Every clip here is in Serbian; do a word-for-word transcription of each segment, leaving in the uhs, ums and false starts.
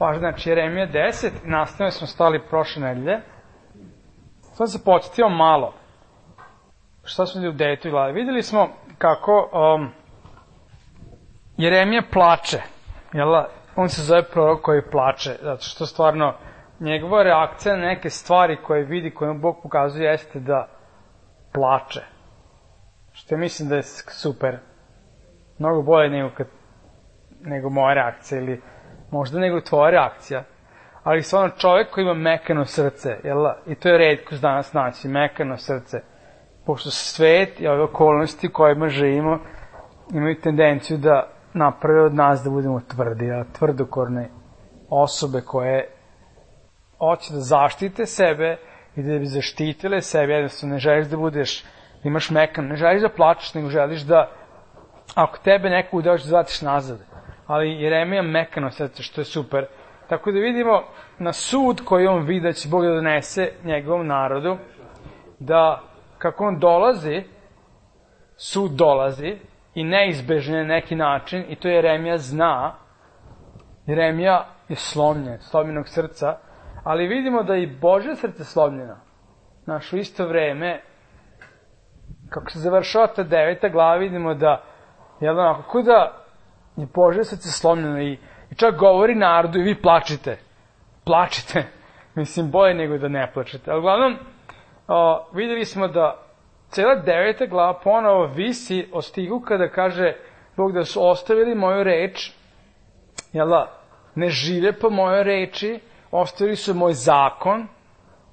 Pa, znači, Jeremija deset, nastavno smo stali prošle nedelje. Sad se podsjetio malo. Šta smo vidjeli u devetoj glavi? Vidjeli smo kako um, Jeremija plače. Jel? On se zove prorok koji plače, zato što stvarno njegova reakcija na neke stvari koje vidi, koje mu Bog pokazuje, jeste da plače. Što ja mislim da je super. Mnogo bolje nego, kad, nego moja reakcija, ili možda nego tvoja reakcija. Ali stvarno čovjek koji ima mekano srce, jel? I to je retkost danas naći, mekano srce. Pošto svet i ove okolnosti kojima živimo imaju tendenciju da naprave od nas da budemo tvrdi, a tvrdokorne osobe koje hoće da zaštite sebe i da bi zaštitile sebe, jednostavno ne želiš da budeš, imaš mekan, ne želiš da plačeš, nego želiš da, ako tebe neko udeo, da zvatiš nazad. Ali Jeremija mekano srce, što je super. Tako da vidimo na sud koji on vidi da će Bog da donese njegovom narodu, da kako on dolazi, sud dolazi i neizbežno na neki način, i to Jeremija zna. Jeremija je slomljen, slomljenog srca, ali vidimo da i Božje srce slomljeno. Znaš, u isto vreme, kako se završava ta deveta glava, vidimo da, jel da, kako da je Božje srce slomljeno i, i čak govori narodu i vi plačite. Plačite. Mislim, bolje nego da ne plačete. Ali uglavnom, o, vidjeli smo da cela deveta glava ponovo visi o stigu kada kaže Bog da su ostavili moju reč, jel da, ne žive po mojoj reči, ostavili su moj zakon,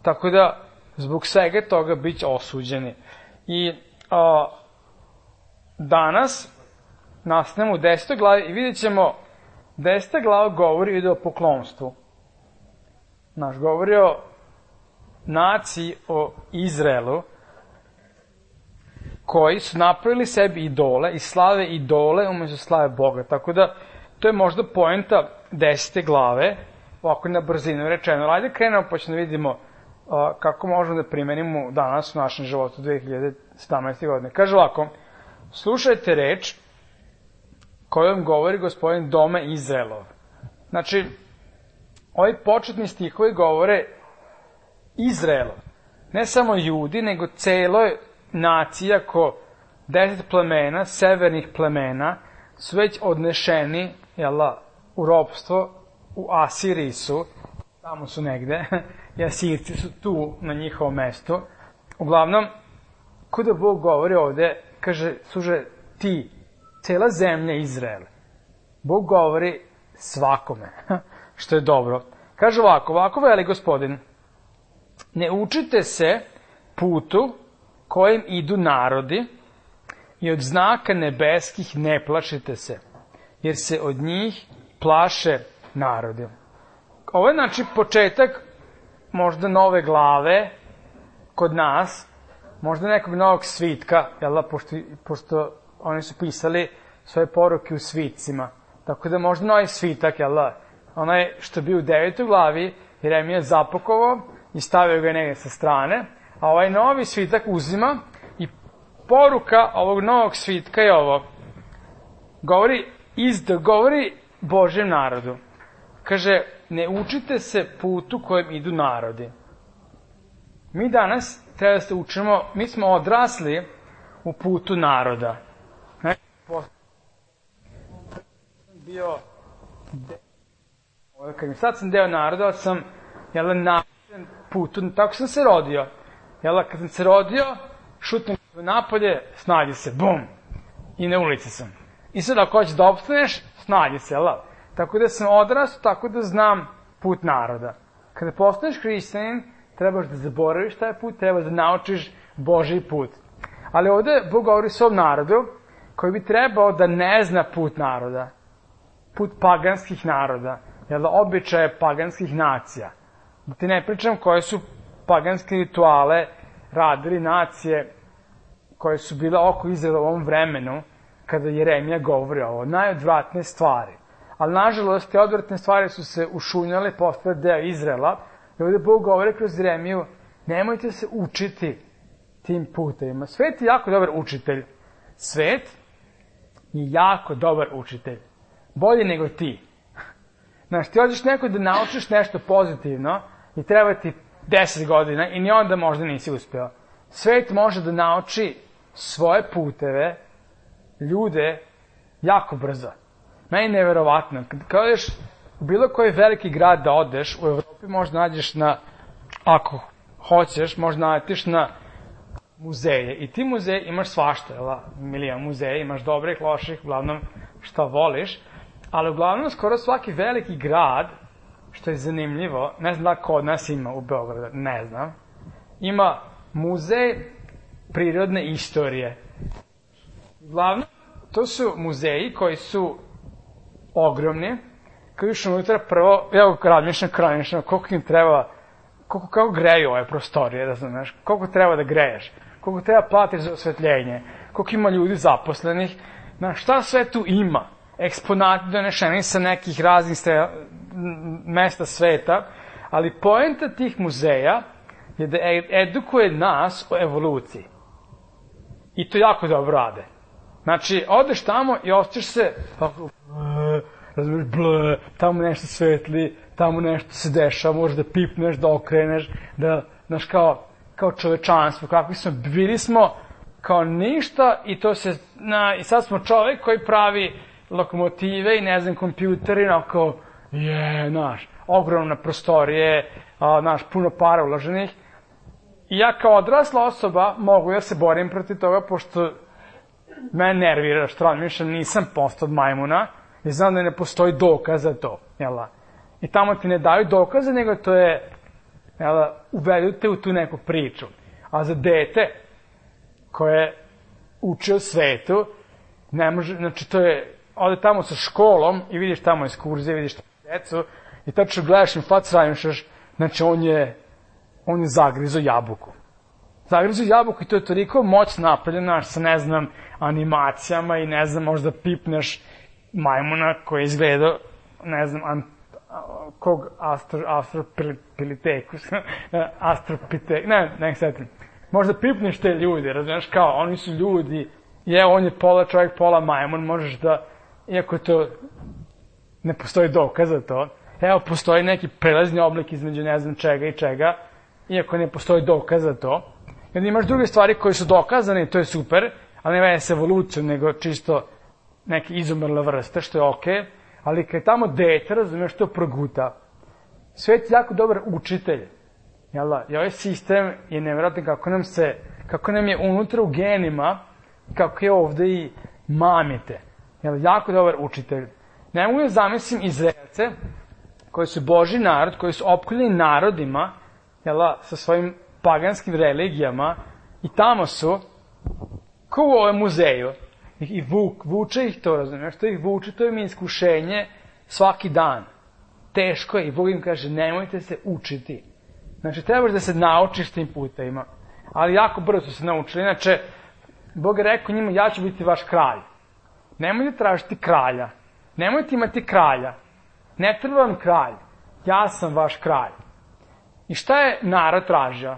tako da zbog svega toga bit će osuđeni. I a, danas nastavljamo u desetoj glavi i vidjet ćemo, deseta glava govori o idolopoklonstvu. Naš govori o naciji, o Izraelu, koji su napravili sebi idole i slave idole umesto slave Boga. Tako da, to je možda poenta desete glave, ovako na brzinu rečeno. Ajde krenemo pa ćemo da vidimo uh, kako možemo da primenimo danas u našem životu dve hiljade sedamnaeste. godine. Kaže ovako, slušajte reč kojom govori gospodin doma Izraelov. Znači, ovi početni stihovi govore Izraelov. Ne samo Judi, nego celo nacija ko deset plemena, severnih plemena, su već odnešeni, jela, u ropstvo, u Asiriji su, tamo su negde, i Asirci su tu na njihovom mestu. Uglavnom, kuda Bog govori ovde, kaže, služe ti, cela zemlja Izrael. Bog govori svakome, što je dobro. Kaže ovako, ovako veli gospodin, ne učite se putu kojim idu narodi i od znaka nebeskih ne plašite se, jer se od njih plaše narodi. Ovo je znači početak možda nove glave kod nas, možda nekog novog svitka, jel da, pošto, pošto oni su pisali svoje poruke u svitcima. Tako da možda novi svitak, jel da, onaj što bi u devetoj glavi Jeremija zapakovao i stavio ga negdje sa strane, a ovaj novi svitak uzima i poruka ovog novog svitka je ovo. Govori, izda, govori Božjem narodu. Kaže, ne učite se putu kojem idu narodi. Mi danas treba da se učimo, mi smo odrasli u putu naroda. Ne, bio de... sad sam deo naroda, sam jel, na putu, tako sam se rodio. Jel, kad sam se rodio, šutnem napolje, snađi se, bum, i na ulici sam. I sad ako hoćeš da opstaneš, snađi se, jel? Tako da sam odrastao, tako da znam put naroda. Kada postaneš hrišćanin, trebaš da zaboraviš taj put, trebaš da naučiš Božji put. Ali ovde Bog govori svom narodu, koji bi trebao da ne zna put naroda, put paganskih naroda, jel da, običaje paganskih nacija. Da ti ne pričam koje su paganske rituale radili nacije koje su bile oko Izraela u ovom vremenu, kada Jeremija govori ovo, najodvratne stvari. Ali, nažalost, te odvratne stvari su se ušunjale, postale deo Izraela, i ovdje Bog govori kroz Jeremiju, nemojte se učiti tim putevima. Svet je jako dobar učitelj. Svet je jako dobar učitelj. Bolje nego ti. Znaš, ti hoćeš neko da naučiš nešto pozitivno i treba ti deset godina i ni onda možda nisi uspeo. Svet može da nauči svoje puteve, ljude, jako brzo. Meni je neverovatno. Kad odeš u bilo koji veliki grad da odeš, u Evropi možda nađeš na, ako hoćeš, možda nađeš na muzeje. I ti muzeje imaš svašta, jel? Milion muzeja, imaš dobrih, loših, uglavnom šta voliš. Ali uglavnom skoro svaki veliki grad, što je zanimljivo, ne znam da kod nas ima u Beogradu, ne znam, ima muzej prirodne istorije. Uglavnom, to su muzeji koji su ogromni, koji još unutra prvo, evo razmišljam, razmišljam, koliko im treba, koliko, kako greju ove prostorije, razumeš, koliko treba da greješ, koliko treba platiš za osvetljenje, koliko ima ljudi zaposlenih, na šta sve tu ima, eksponati donešeni sa nekih raznih ste, mesta sveta, ali poenta tih muzeja je da edukuje nas o evoluciji. I to jako dobro rade. Znači, odeš tamo i osjećaš se, razumiješ, ble, tamo nešto svetli, tamo nešto se dešava, možeš da pipneš, da okreneš, da, znaš, kao, kao čovečanstvo, kakvi smo, bili smo kao ništa i to se, na, i sad smo čovek koji pravi lokomotive i, ne znam, kompjuteri, onako, je, znaš, ogromna prostorije, a, znaš, puno para uloženih. I ja kao odrasla osoba mogu da se borim protiv toga, pošto mene nervira, što razmišljam, nisam postao od majmuna, i znam da ne postoji dokaz za to, jela? I tamo ti ne daju dokaze, nego to je, jela, uvedu te u tu neku priču. A za dete koje uči o svetu, ne može, znači to je, ode tamo sa školom i vidiš tamo ekskurzije, vidiš tamo decu, i tačno gledaš im fac, razmišljaš, znači on je, on je zagrizo jabuku. Zagrizo jabuku i to je toliko moć napravljena, sa, ne znam, animacijama i, ne znam, možda pipneš majmuna koji je izgledao, ne znam, an, kog astro, astropilitekus, astropite, ne, ne setim. Možda pipneš te ljudi, razumiješ, kao, oni su ljudi, i evo, on je pola čovjek, pola majmun, možeš da, iako to ne postoji dokaz za to, evo, postoji neki prelazni oblik između ne znam čega i čega, iako ne postoji dokaz za to. I onda imaš druge stvari koje su dokazane i to je super, ali ne vede s evolucijom, nego čisto neke izumrle vrste, što je okej, okay, ali kad je tamo dete, razumiješ, to proguta. Svet je jako dobar učitelj, jel da? I ovaj sistem je nevjerojatno kako nam se, kako nam je unutra u genima, kako je ovde i mamite. Jel, jako dobar učitelj. Ne mogu da zamislim Izraelce, koji su Božji narod, koji su opkoljeni narodima, jel, sa svojim paganskim religijama, i tamo su, kao u ovom muzeju, i vuk, vuče ih to, razumiješ, što ih vuče, to im je iskušenje svaki dan. Teško je, i Bog im kaže, nemojte se učiti. Znači, trebaš da se naučiš tim putevima. Ali jako brzo su se naučili, inače, Bog je rekao njima, ja ću biti vaš kralj. Nemojte tražiti kralja. Nemojte imati kralja. Ne treba vam kralj. Ja sam vaš kralj. I šta je narod tražio?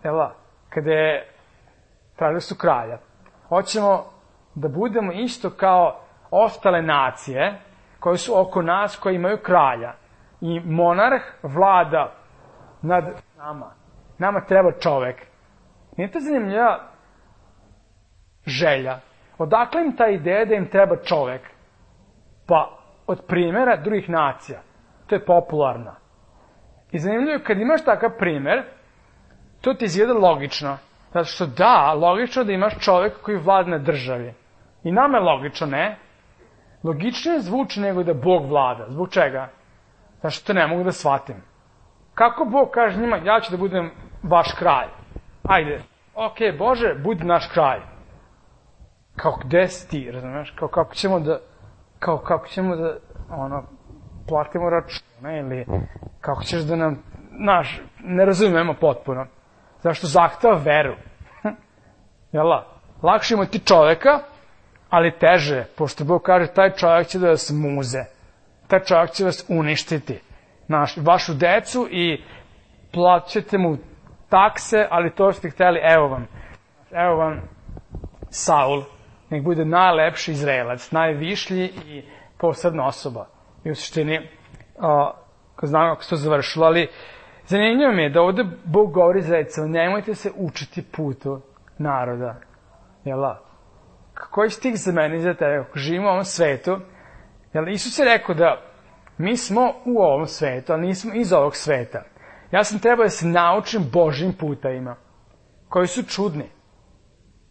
Evo, kada je tražili su kralja. Hoćemo da budemo isto kao ostale nacije koje su oko nas, koje imaju kralja. I monarh vlada nad nama. Nama treba čovek. Nije to zanimljiva želja? Odakle im ta ideja da im treba čovek? Pa, od primjera drugih nacija. To je popularno. I zanimljivo je, kad imaš takav primer, to ti izgleda logično. Zato što da, logično da imaš čovek koji vlada na državi. I nama je logično, ne? Logičnije zvuči nego da Bog vlada. Zbog čega? Zato što to ne mogu da shvatim. Kako Bog kaže njima, ja ću da budem vaš kralj? Ajde, okej, Bože, budi naš kralj. Kao, gde si ti, razumeš? Kao, kako ćemo da, kao, kako ćemo da, ono, platimo račune, ili kako ćeš da nam, znaš, ne razumemo potpuno. Zašto zahteva veru? Jel' lakše imati čoveka, ali teže, pošto Bog kaže, taj čovjek će da vas muze. Taj čovjek će vas uništiti. Naš, vašu decu i plaćete mu takse, ali to ste hteli, evo vam. Evo vam Saul, nek bude najlepši Izraelac, najvišlji i posebna osoba. I u suštini, a, znam kako se to završilo, ali zanimljivo mi je da ovde Bog govori za recimo, nemojte se učiti putu naroda. Jel da? Koji stih za mene i za tebe? Ako živimo u ovom svetu, jel, Isus je rekao da mi smo u ovom svetu, ali nismo iz ovog sveta. Ja sam trebao da se naučim Božjim putevima, koji su čudni.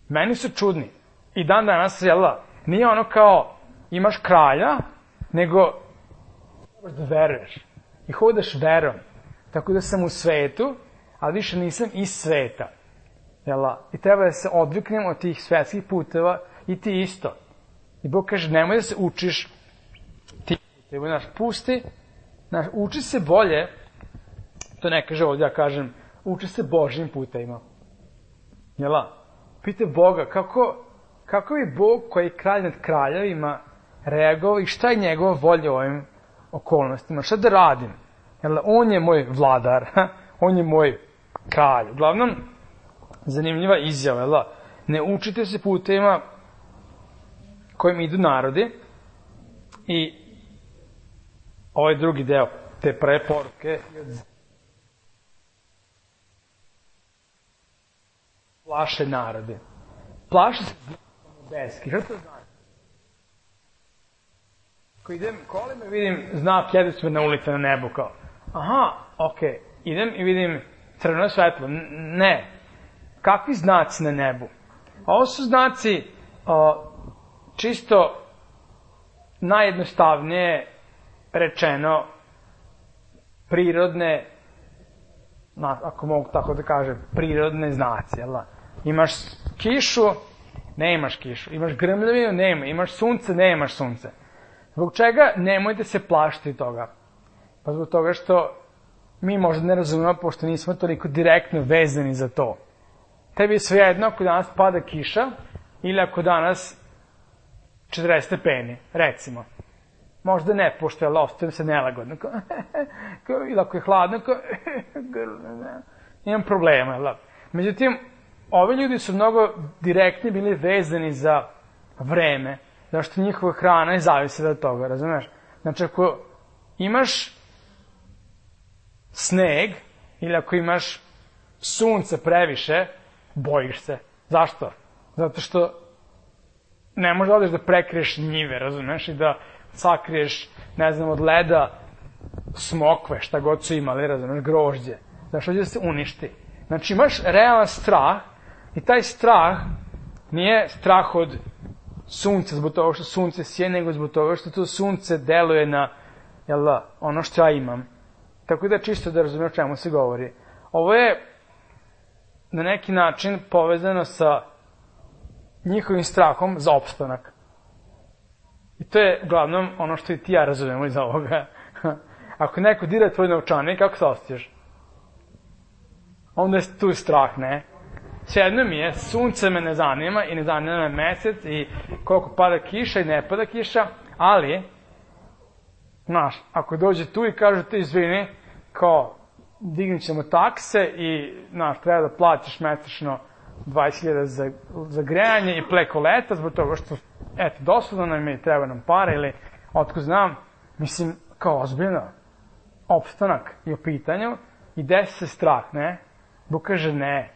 Meni su čudni. I dan danas, jel da, nije ono kao imaš kralja, nego trebaš da veruješ. I hodaš verom. Tako da sam u svetu, ali više nisam iz sveta. Jel da? I treba da se odviknem od tih svetskih puteva i ti isto. I Bog kaže, nemoj da se učiš ti puteva. Znaš, pusti, znaš, uči se bolje, to ne kaže ovdje, ja kažem, uči se Božjim putevima. Jel da? Pite Boga, kako, kako je Bog koji je kralj nad kraljevima reagovao i šta je njegova volja u ovim okolnostima, šta da radim? Jel da? On je moj vladar, on je moj kralj. Uglavnom, zanimljiva izjava, jel da? Ne učite se putevima kojim idu narodi i ovaj drugi deo te prve poruke plaše narode. Plaše se znakom nebeski. Šta to znači? Ako idem kolima i vidim znak jednosmerne ulice na nebu, kao, aha, okej, okay. Idem i vidim crveno svetlo. Ne. Kakvi znaci na nebu? Ovo su znaci o, čisto najjednostavnije rečeno prirodne, ako mogu tako da kažem, prirodne znaci, jel da? Imaš kišu, ne imaš kišu. Imaš grmljavinu, nema. Imaš sunce, ne imaš sunce. Zbog čega nemojte se plašiti toga? Pa zbog toga što mi možda ne razumemo, pošto nismo toliko direktno vezani za to. Tebi je svejedno ako danas pada kiša ili ako danas četrdeset stepeni, recimo. Možda ne, pošto je ostajem se nelagodno. Ili ako je hladno, imam problema. Međutim, ovi ljudi su mnogo direktni bili vezani za vreme, zašto njihova hrana je zavisila od toga, razumeš? Znači, ako imaš sneg ili ako imaš sunce previše, bojiš se. Zašto? Zato što ne možeš da odeš da prekriješ njive, razumeš? I da sakriješ, ne znam, od leda smokve, šta god su imali, razumeš, grožđe. Zašto će da se uništi? Znači, imaš realan strah i taj strah nije strah od sunca zbog toga što sunce sije, nego zbog toga što to sunce deluje na, jel da, ono što ja imam. Tako da čisto da razumije o čemu se govori. Ovo je na neki način povezano sa njihovim strahom za opstanak. I to je uglavnom ono što i ti ja razumemo iz ovoga. Ako neko dira tvoj novčanik, kako se osjećaš? Onda je tu strah, ne? Svejedno mi je, sunce me ne zanima i ne zanima me mesec i koliko pada kiša i ne pada kiša, ali, znaš, ako dođe tu i kažu ti izvini, kao, dignut ćemo takse i, znaš, treba da platiš mesečno dvadeset hiljada za, za grejanje i preko leta, zbog toga što, eto, doslovno nam je, treba nam para ili, otko znam, mislim, kao ozbiljno, opstanak je u pitanju i desi se strah, ne? Bog kaže ne,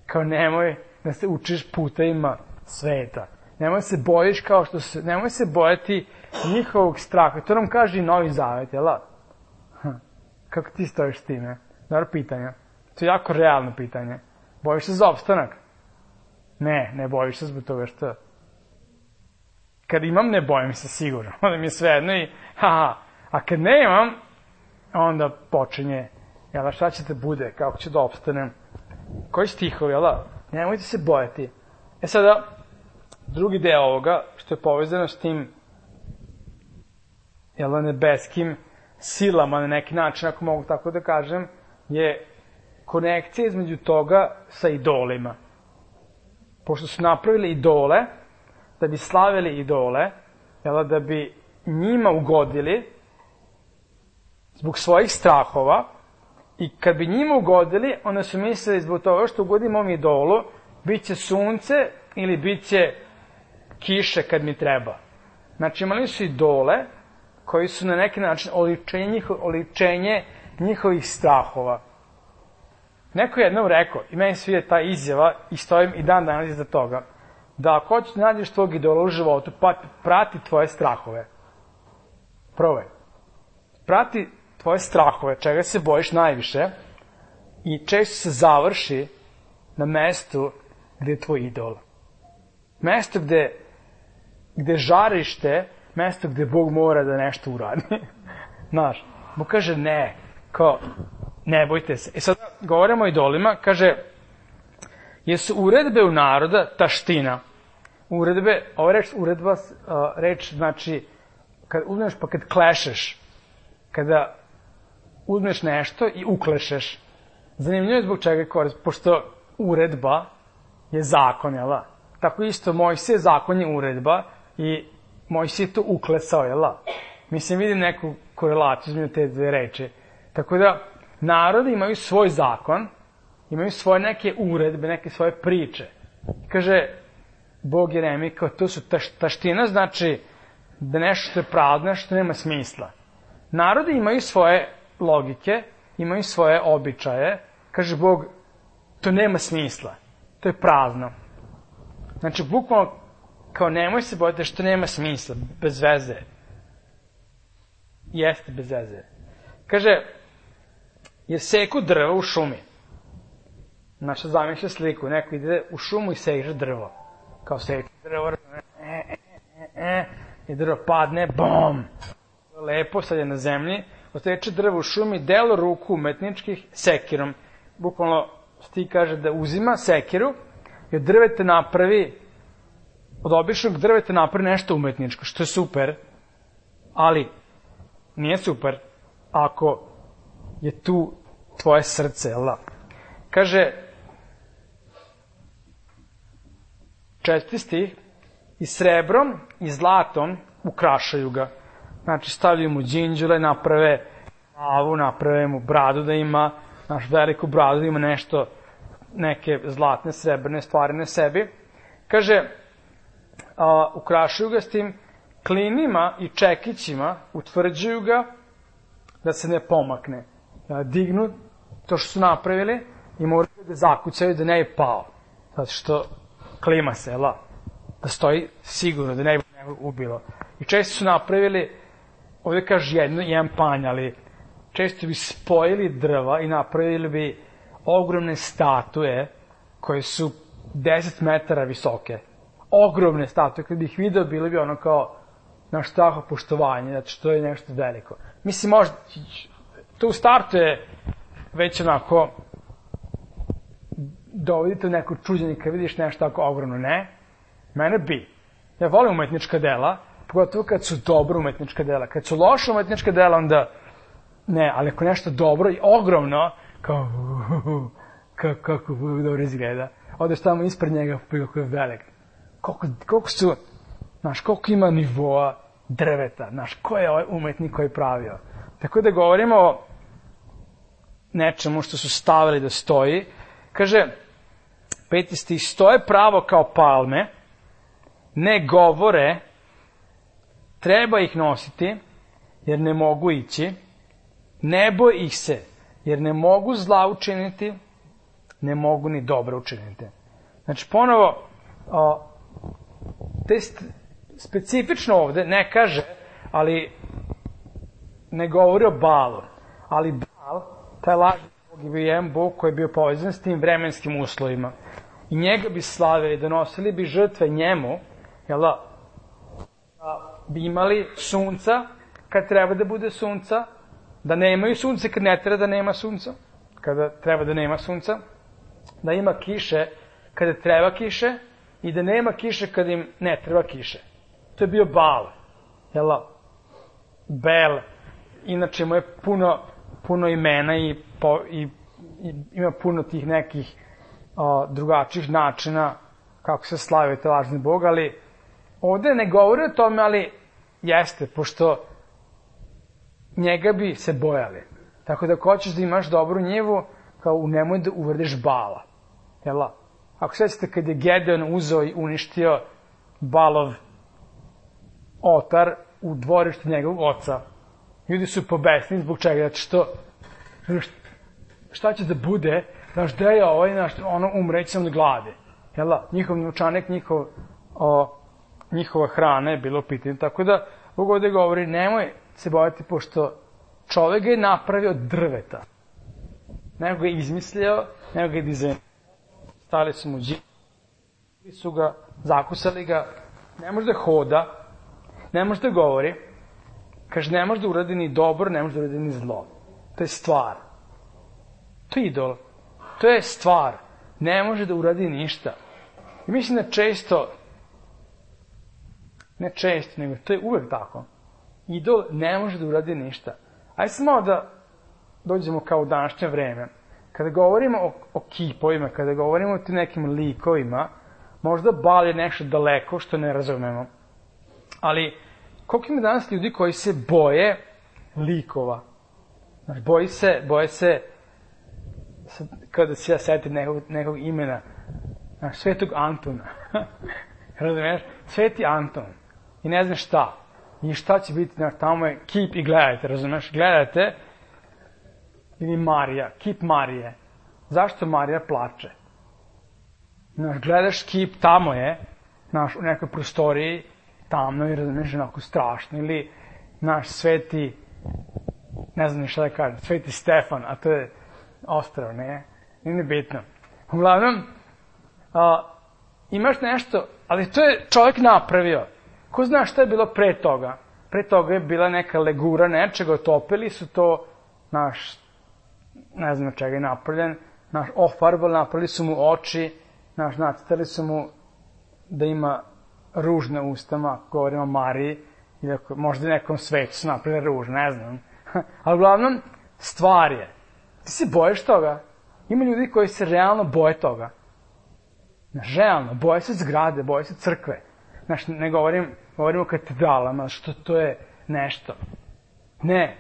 kao nemoj da se učiš putevima sveta. Nemoj se bojiš kao što se, nemoj se bojati njihovog straha. To nam kaže i Novi Zavet, jel da? Hm. Kako ti stojiš s time? Dobro pitanje. To je jako realno pitanje. Bojiš se za opstanak? Ne, ne bojiš se zbog toga što... Kad imam, ne bojim se sigurno. Onda mi je svejedno i haha. A kad ne imam, onda počinje, jel da, šta će te bude, kako će da opstanem? Koji stihovi, jel da? Nemojte se bojati. E sada, drugi deo ovoga, što je povezano s tim, jel da, nebeskim silama na neki način, ako mogu tako da kažem, je konekcija između toga sa idolima. Pošto su napravili idole, da bi slavili idole, jel, da bi njima ugodili zbog svojih strahova, i kad bi njima ugodili, onda su mislili zbog toga što ugodimo ovom idolu, bit će sunce ili bit će kiše kad mi treba. Znači imali su idole koji su na neki način oličenje, njiho, oličenje njihovih strahova. Neko je jednom rekao, i meni svije ta izjava, i stojim i dan danas iza toga, da ako hoćeš da nađeš tvojeg idola u životu, pa prati tvoje strahove. Probaj. Prati tvoje strahove, čega se bojiš najviše, i često se završi na mestu gde je tvoj idol. Mesto gde, gde žarište, mesto gde Bog mora da nešto uradi. Znaš, Bog kaže ne, kao, ne bojte se. I sad govorimo o idolima, kaže, jesu uredbe u naroda taština. Uredbe, ova reč, uredba, reč znači, kad uzmeš pa kad klešeš, kada uzmeš nešto i uklešeš. Zanimljivo je zbog čega je korist, pošto uredba je zakon, jel da? Tako isto, Mojsije zakon je uredba i Mojsije je to uklesao, jel da? Mislim, vidim neku korelaciju između te dve reči. Tako da, narodi imaju svoj zakon, imaju svoje neke uredbe, neke svoje priče. Kaže Bog Jeremiji, kao to su taš, taština, znači da nešto što je prazno, što nema smisla. Narodi imaju svoje logike, imaju svoje običaje. Kaže Bog, to nema smisla, to je prazno. Znači, bukvalno, kao nemoj se bojati što nema smisla, bez veze. Jeste bez veze. Kaže, jer seku drvo u šumi. Naša zamišlja sliku, neko ide u šumu i seže drvo. Kao seče drvo, e, e, e, e, i drvo padne, bom! Lepo, sad je na zemlji, oseče drvo u šumi, delo ruku umetničkih sekirom. Bukvalno sti kaže da uzima sekiru i od drveta napravi, od običnog drveta napravi nešto umetničko, što je super, ali nije super ako je tu tvoje srce, jel da? Kaže, četvrti stih, i srebrom i zlatom ukrašaju ga. Znači, stavljaju mu đinđule, naprave glavu, naprave mu bradu da ima, naš veliku bradu da ima nešto, neke zlatne, srebrne stvari na sebi. Kaže, a, ukrašaju ga s tim klinima i čekićima, utvrđuju ga da se ne pomakne. Da dignu to što su napravili i moraju da zakucaju da ne je pao. Zato što klima se, jel da? Da stoji sigurno, da ne bi ubilo. I često su napravili, ovdje kaže jedno, jedan panj, ali često bi spojili drva i napravili bi ogromne statue koje su deset metara visoke. Ogromne statue, kad bi ih video, bili bi ono kao naš straho poštovanje, zato što je nešto veliko. Mislim, možda, to u startu je već onako, dovodite u neko čuđenje kad vidiš nešto tako ogromno, ne? Mene bi. Ja volim umetnička dela, pogotovo kad su dobro umetnička dela. Kad su loša umetnička dela, onda ne, ali ako nešto dobro i ogromno, kao, kako, kako dobro izgleda, odeš tamo ispred njega, kako je velik. Koliko, koliko su, znaš, koliko ima nivoa drveta, znaš, ko je ovaj umetnik koji je pravio. Tako da govorimo o nečemu što su stavili da stoji. Kaže, peti stih, stoje pravo kao palme, ne govore, treba ih nositi, jer ne mogu ići, ne boj ih se, jer ne mogu zla učiniti, ne mogu ni dobro učiniti. Znači, ponovo, o, te specifično ovde ne kaže, ali ne govori o Baalu, ali Baal, taj lažni bog je bio jedan bog koji je bio povezan s tim vremenskim uslovima. I njega bi slavili, donosili bi žrtve njemu, jel da, bi imali sunca kad treba da bude sunca, da nemaju sunce kad ne treba da nema sunca, kada treba da nema sunca, da ima kiše kada treba kiše i da nema kiše kada im ne treba kiše. To je bio Baal, jel da, Bel, inače mu je puno, puno imena i, po, i, i ima puno tih nekih o, drugačijih načina kako se slavio te lažni bog, ali ovde ne govori o tome, ali jeste, pošto njega bi se bojali. Tako da ako hoćeš da imaš dobru njivu, kao nemoj da uvrdiš Baala. Jel? Ako sećate kad je Gedeon uzeo i uništio Baalov otar u dvorištu njegovog oca. Ljudi su pobesni zbog čega, zato što šta će da bude, znaš, gde je ovaj, znaš, ono umreći sam od glade. Jel da? Njihov novčanik, njihov, o, njihova hrana je bilo pitanje. Tako da, Bog ovde govori, nemoj se bojati, pošto čovek ga je napravio od drveta. Nego ga je izmislio, nego ga je dizajnirao. Stali su mu džini, su ga, zakusali ga, ne može da hoda, ne može da govori, kaže, ne može da uradi ni dobro, ne može da uradi ni zlo. To je stvar. To je idol. To je stvar. Ne može da uradi ništa. I mislim da često, ne često, nego to je uvek tako. Idol ne može da uradi ništa. Ajde se malo da dođemo kao u današnje vreme. Kada govorimo o, o kipovima, kada govorimo o tim nekim likovima, možda Bal je nešto daleko što ne razumemo. Ali, koliko ima danas ljudi koji se boje likova? Znaš, boji se, boje se, kada se ja setim nekog, nekog imena, znaš, Svetog Antuna. Razumiješ? Sveti Anton. I ne znam šta. I šta će biti, znaš, tamo je kip i gledajte, razumiješ? Gledajte. Ili Marija, kip Marije. Zašto Marija plače? Znaš, gledaš kip, tamo je, znaš, u nekoj prostoriji, tamno i razumiješ, onako strašno. Ili, znaš, sveti, ne znam ni šta da kažem, sveti Stefan, a to je ostrao, ne? Nije bitno. Uglavnom, a, imaš nešto, ali to je čovjek napravio. Ko zna šta je bilo pre toga? Pre toga je bila neka legura nečega, otopili su to, naš, ne znam čega je napravljen, naš, ofarbali, napravili su mu oči, naš, nacrtali su mu da ima ruž na ustama, govorimo o Mariji, ili ako, možda nekom svetu su napravili ruž, ne znam. Ali uglavnom, stvar je. Ti se bojiš toga? Ima ljudi koji se realno boje toga. Znaš, realno, boje se zgrade, boje se crkve. Znaš, ne govorim, govorim o katedralama, što to je nešto. Ne,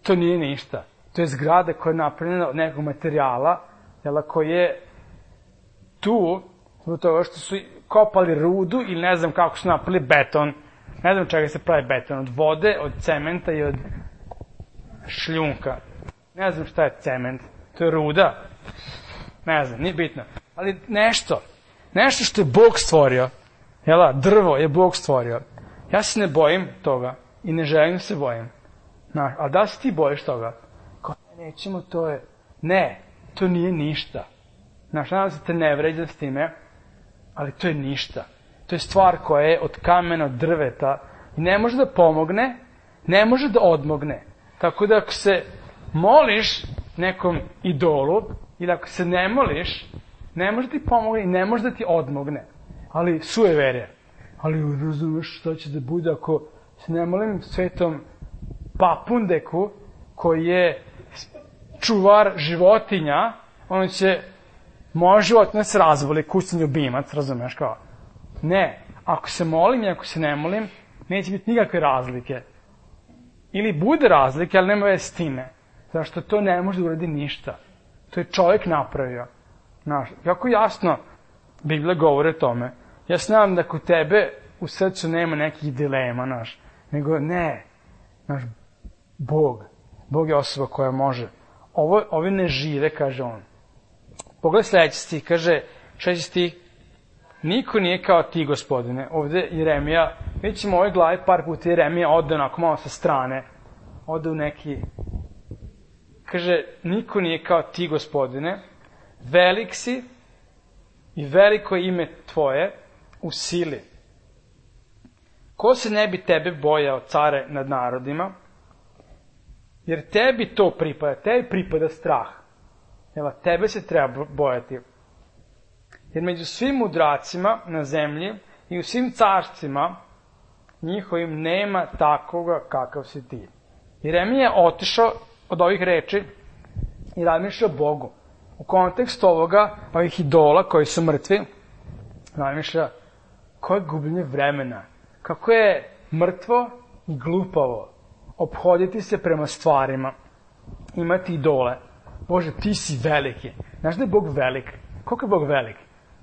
to nije ništa. To je zgrada koja je napravljena od nekog materijala, jela, koji je tu, zbog toga što su kopali rudu ili ne znam kako su napravili beton. Ne znam čega se pravi beton, od vode, od cementa i od šljunka. Ne znam šta je cement, to je ruda. Ne znam, nije bitno. Ali nešto, nešto što je Bog stvorio, jela, drvo je Bog stvorio. Ja se ne bojim toga i ne želim se bojim. Znaš, ali da se ti bojiš toga? Kao, nećemo, to je... Ne, to nije ništa. Znaš, nadam se te ne vređa s time, ali to je ništa. To je stvar koja je od kamena, od drveta i ne može da pomogne, ne može da odmogne. Tako da ako se moliš nekom idolu ili ako se ne moliš, ne može ti pomogne i ne može da ti odmogne. Ali sujeverje. Ali razumeš šta će da bude ako se ne molim svetom Papundeku koji je čuvar životinja, on će moja životinja se razvoli, kućni ljubimac, razumeš kao. Ne, ako se molim i ako se ne molim, neće biti nikakve razlike. Ili bude razlike, ali nema veze s time. Zašto to ne može da uradi ništa. To je čovjek napravio. Znaš, kako jasno Biblija govori o tome. Ja se nadam da kod tebe u srcu nema nekih dilema, znaš. Nego ne, znaš, Bog. Bog je osoba koja može. Ovo, ovi ne žive, kaže on. Pogledaj sledeći stih, kaže, šesti stih, niko nije kao ti, gospodine. Ovde Jeremija, vidjet ćemo u ovoj glavi par puta Jeremija ode onako malo sa strane, ode u neki, kaže, niko nije kao ti, gospodine, velik si i veliko ime tvoje u sili. Ko se ne bi tebe bojao, care nad narodima, jer tebi to pripada, tebi pripada strah. Evo, tebe se treba bojati. Jer među svim mudracima na zemlji i u svim carstvima njihovim nema takoga kakav si ti. Jeremija je otišao od ovih reči i razmišljao o Bogu. U kontekstu ovoga, ovih idola koji su mrtvi, razmišlja koje je gubljenje vremena, kako je mrtvo i glupavo ophoditi se prema stvarima, imati idole. Bože, ti si veliki. Znaš da je Bog velik? Koliko je Bog velik?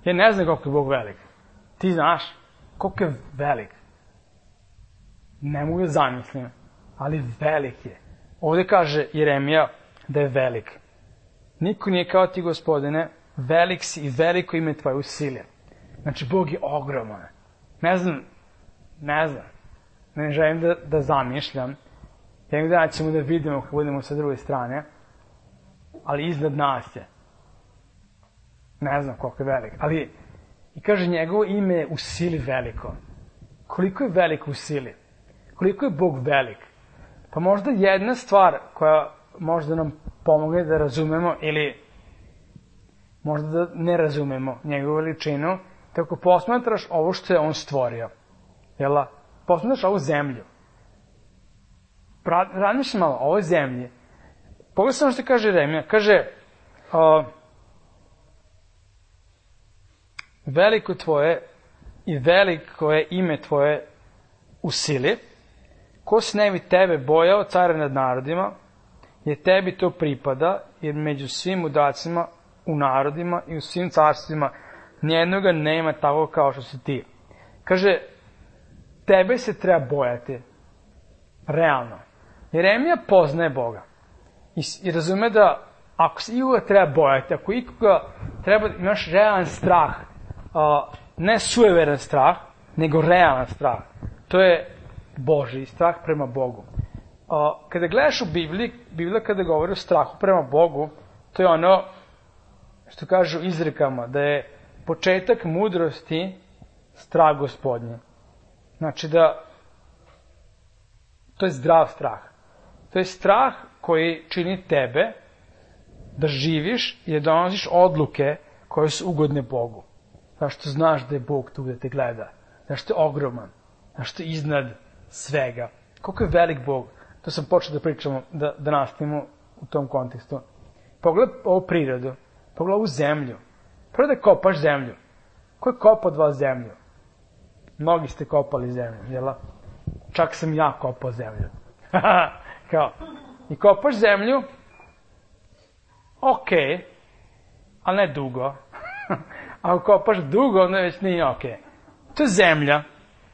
Ja ne znam koliko je Bog velik. Ti znaš koliko je velik. Ne mogu da zamislim, ali velik je. Ovde kaže Jeremija da je velik. Niko nije kao ti, Gospodine, velik si i veliko ime tvoje u sili. Znači, Bog je ogroman. Ne znam, ne znam, ne želim da, da zamišljam. Jednog dana ćemo da vidimo kako budemo sa druge strane, ali iznad nas je. Ne znam koliko je velik, ali i kaže njegovo ime je u sili veliko. Koliko je velik u sili? Koliko je Bog velik? Pa možda jedna stvar koja možda nam pomogne da razumemo ili možda da ne razumemo njegovu veličinu, tako posmatraš ovo što je on stvorio. Jel? Posmatraš ovu zemlju. Razmišljam malo o ovoj zemlji. Pogledaj samo što kaže Jeremija. Kaže, uh, veliko tvoje i veliko je ime tvoje u sili. Ko se ne bi tebe bojao, care nad narodima, jer tebi to pripada, jer među svim udacima u narodima i u svim carstvima nijednoga nema tako kao što si ti. Kaže, tebe se treba bojati. Realno. Jeremija poznaje Boga. I, i razume da ako se ikoga treba bojati, ako ikoga treba, imaš realan strah, uh, ne sujeveran strah, nego realan strah. To je Božji strah prema Bogu. Uh, kada gledaš u Bibliji, Biblija kada govori o strahu prema Bogu, to je ono što kažu izrekama, da je početak mudrosti strah Gospodnje. Znači da to je zdrav strah. To je strah koji čini tebe da živiš i da donosiš odluke koje su ugodne Bogu. Zašto znaš da je Bog tu da te gleda. Zašto je ogroman. Zašto je iznad svega. Koliko je velik Bog. To sam počeo da pričamo, da, da nastavimo u tom kontekstu. Pogledaj ovu prirodu. Pogledaj ovu zemlju. Prvo da kopaš zemlju. Ko je kopao od vas zemlju? Mnogi ste kopali zemlju, jel? Čak sam ja kopao zemlju. Kao, i kopaš zemlju, ok, ali ne dugo. Ako kopaš dugo, onda već nije ok. To je zemlja.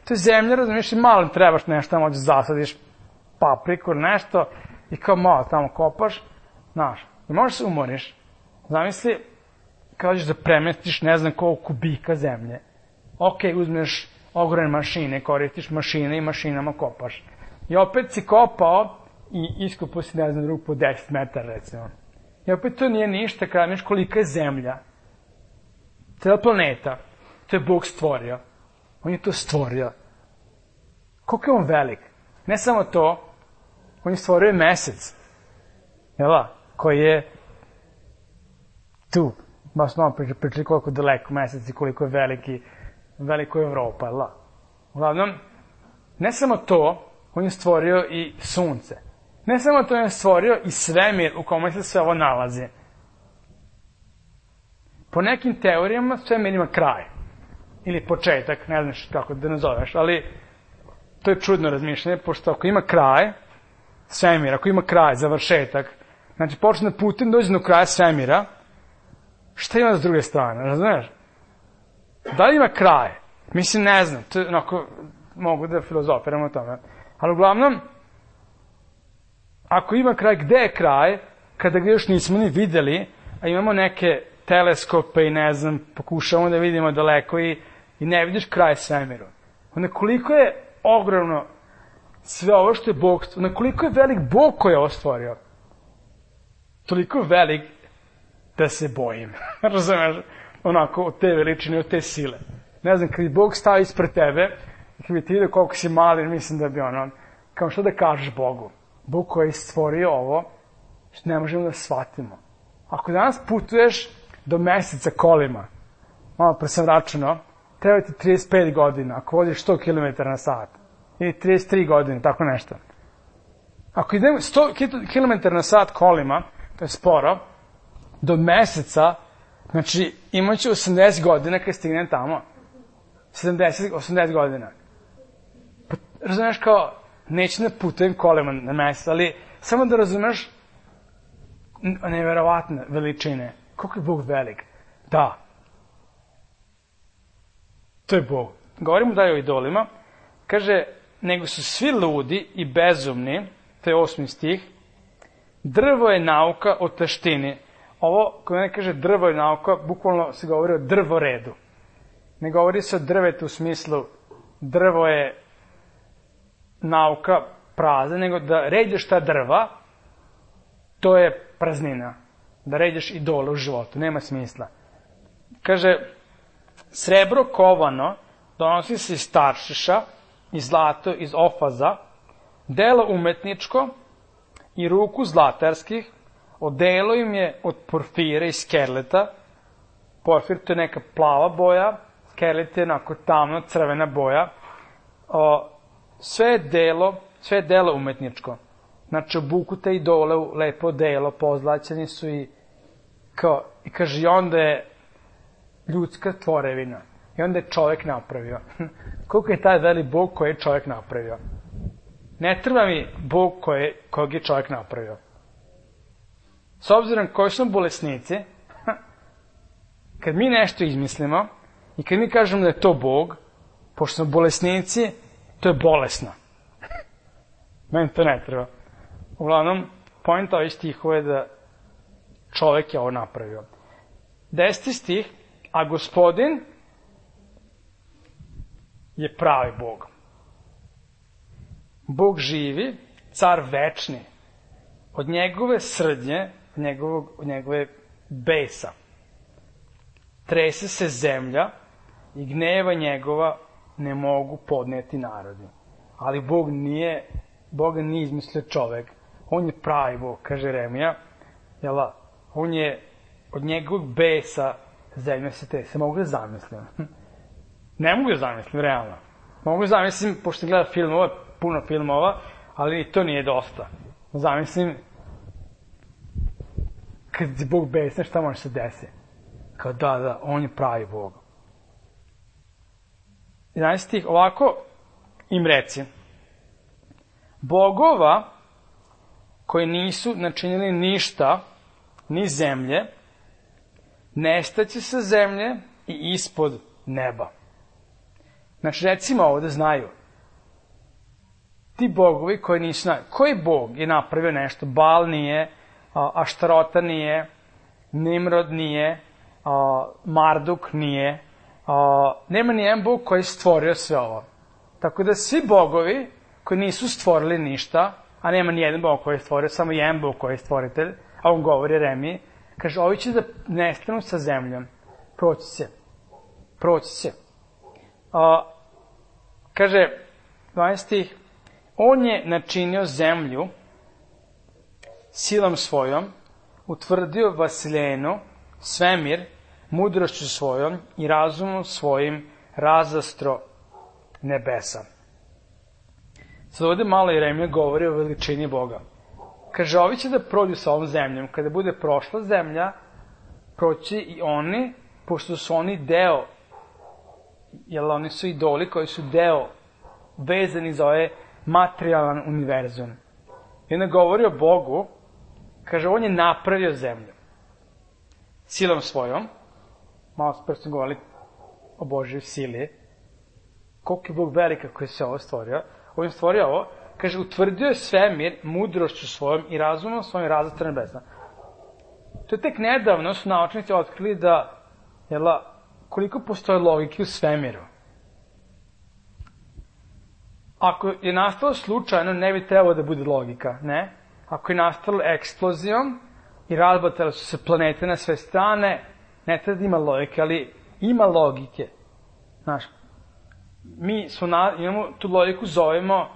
To je zemlja, razumiješ, i malo trebaš nešto, tamo da zasadiš papriku, nešto, i kao malo tamo kopaš, znaš, i možeš se umoriš. Zamisli, kao ćeš da premestiš ne znam koliko kubika zemlje. Ok, uzmeš ogromne mašine, koristiš mašine i mašinama kopaš. I opet si kopao i iskopao si, ne znam, rupu deset metara, recimo. I opet to nije ništa, kada vidiš kolika je zemlja. Cijela planeta. To je Bog stvorio. On je to stvorio. Koliko je on velik? Ne samo to, on je stvorio mesec. Jel' koji je tu. Baš smo pričali, pričali koliko je daleko mesec i koliko je veliki, veliko je Evropa, jel'? Uglavnom, ne samo to, on je stvorio i sunce. Ne samo to, on je stvorio i svemir u kome se sve ovo nalazi. Po nekim teorijama svemir ima kraj. Ili početak, ne znaš kako da nazoveš, ali to je čudno razmišljanje, pošto ako ima kraj, svemira, ako ima kraj, završetak, znači počne putem dođe do kraja svemira, šta ima s druge strane, razumiješ? Da li ima kraj? Mislim, ne znam, to je onako, mogu da filozofiram o tome. Ali uglavnom, ako ima kraj, gde je kraj, kada ga još nismo ni videli, a imamo neke teleskope i ne znam, pokušavamo da vidimo daleko i, i ne vidiš kraj svemiru. Onda koliko je ogromno sve ovo što je Bog, onda koliko je velik Bog koji je ovo stvorio. Toliko je velik da se bojim. Razumeš? Onako, od te veličine, od te sile. Ne znam, kad bi Bog stao ispred tebe, kad bi ti vidio koliko si mali, mislim da bi ono, kao što da kažeš Bogu. Bog koji je stvorio ovo, što ne možemo da shvatimo. Ako danas putuješ do meseca kolima, malo pre sam računao, treba ti trideset pet godina, ako voziš sto kilometara na sat. Ili trideset tri godine, tako nešto. Ako idemo sto kilometara na sat kolima, to je sporo, do meseca, znači imat ću osamdeset godina kad stignem tamo. sedamdeset, osamdeset godina. Pa, razumeš kao, neću da putujem kolima na mesec, ali samo da razumeš neverovatne veličine. Koliko je Bog velik? Da. To je Bog. Govorimo dalje o idolima. Kaže, nego su svi ludi i bezumni, to je osmi stih, drvo je nauka o taštini. Ovo, kada ne kaže drvo je nauka, bukvalno se govori o drvoredu. Ne govori se o drvetu u smislu drvo je nauka prazna, nego da ređeš ta drva, to je praznina. Da ređeš idole u životu, nema smisla. Kaže, srebro kovano donosi se iz Taršiša, i zlato iz Ofaza, delo umetničko i ruku zlatarskih, odelo im je od porfira i skerleta. Porfir to je neka plava boja, skerlet je onako tamno crvena boja. O, sve je delo, sve je delo umetničko. Znači, obuku te idole u lepo delo, pozlaćeni su i kao, i kaže, i onda je ljudska tvorevina. I onda je čovjek napravio. Koliko je taj veli Bog koji je čovjek napravio? Ne treba mi Bog koji, kojeg je čovjek napravio. S obzirom koji smo bolesnici, kad mi nešto izmislimo i kad mi kažemo da je to Bog, pošto smo bolesnici, to je bolesno. Meni to ne treba. Uglavnom, pojenta ovih stihova je da čovjek je ovo napravio. Deseti stih, a Gospodin je pravi Bog. Bog živi, car večni. Od njegove srdnje, od, njegovog, od njegove besa, trese se zemlja i gneva njegova ne mogu podneti narodi. Ali Bog nije, Boga nije izmislio čovek. On je pravi Bog, kaže Jeremija. Jela, on je od njegovog besa zemlja se trese. Mogu da zamislim. Ne mogu da zamislim, realno. Mogu da zamislim, pošto gleda filmova, puno filmova, ali i to nije dosta. Zamislim, kad je Bog besna, šta može se desiti? Kao da, da, on je pravi Bog. jedanaesti stih, ovako im reci, bogova koji nisu načinili ništa, ni zemlje, nestaće sa zemlje i ispod neba. Znači, recimo ovo da znaju. Ti bogovi koji nisu znaju. Koji bog je napravio nešto? Baal nije, Aštarota nije, Nimrod nije, Marduk nije. Nema nijedan bog koji je stvorio sve ovo. Tako da svi bogovi koji nisu stvorili ništa, a nema nijedan bog koji je stvorio, samo jedan bog koji je stvoritelj, a on govori Jeremiji, kaže, ovi će da nestanu sa zemljom. Proći će. Proći će. A, kaže, dvanaesti, on je načinio zemlju silom svojom, utvrdio vasiljenu, svemir, mudrošću svojom i razumom svojim razastro nebesa. Sad ovde malo Jeremija govori o veličini Boga. Kaže, ovi će da prođu sa ovom zemljom. Kada bude prošla zemlja, proći i oni, pošto su oni deo, jer oni su idoli koji su deo vezani za ovaj materijalan univerzum. I onda govori o Bogu, kaže, on je napravio zemlju silom svojom. Malo smo prvo govorili o Božoj sili. Koliko je Bog velika koji se ovo stvorio. On je stvorio ovo, kaže, utvrdio je svemir mudrošću svojom i razumom svojim razastro nebesna. To je tek nedavno su naučnici otkrili da, jela, koliko postoje logike u svemiru. Ako je nastalo slučajno, ne bi trebalo da bude logika, ne? Ako je nastalo eksplozijom i razbatale su se planete na sve strane, ne treba da ima logike, ali ima logike. Znaš, mi su na, imamo tu logiku, zovemo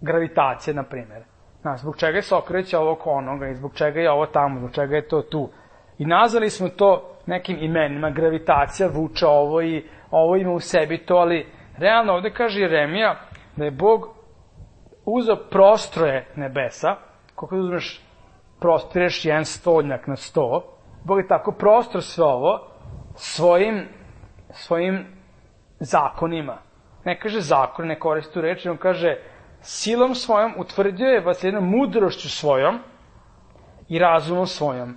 gravitacija, na primjer. Znaš, zbog čega se okreće ovo oko onoga i zbog čega je ovo tamo, zbog čega je to tu. I nazvali smo to nekim imenima, gravitacija vuče ovo i ovo ima u sebi to, ali realno ovde kaže Jeremija da je Bog uzeo prostroje nebesa, koliko uzmeš, prostireš jedan stolnjak na sto, Bog je tako prostor sve ovo svojim, svojim zakonima. Ne kaže zakon, ne koristi tu reč, on kaže silom svojom utvrdio je vas jednom mudrošću svojom i razumom svojom.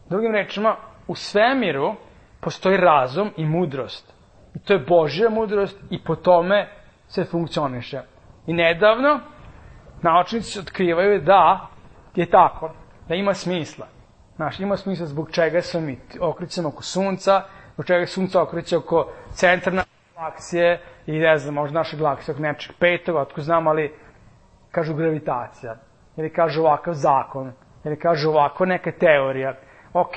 Drugim rečima, u svemiru postoji razum i mudrost. I to je Božja mudrost i po tome se funkcioniše. I nedavno naučnici otkrivaju da je tako, da ima smisla. Znaš, ima smisla zbog čega se mi okrećemo oko sunca, zbog čega sunca okreće oko centralne galaksije i ne znam, možda naša galaksija oko nečeg petoga, otko znam, ali kažu gravitacija, ili kažu ovakav zakon, ili kažu ovako neka teorija. Ok,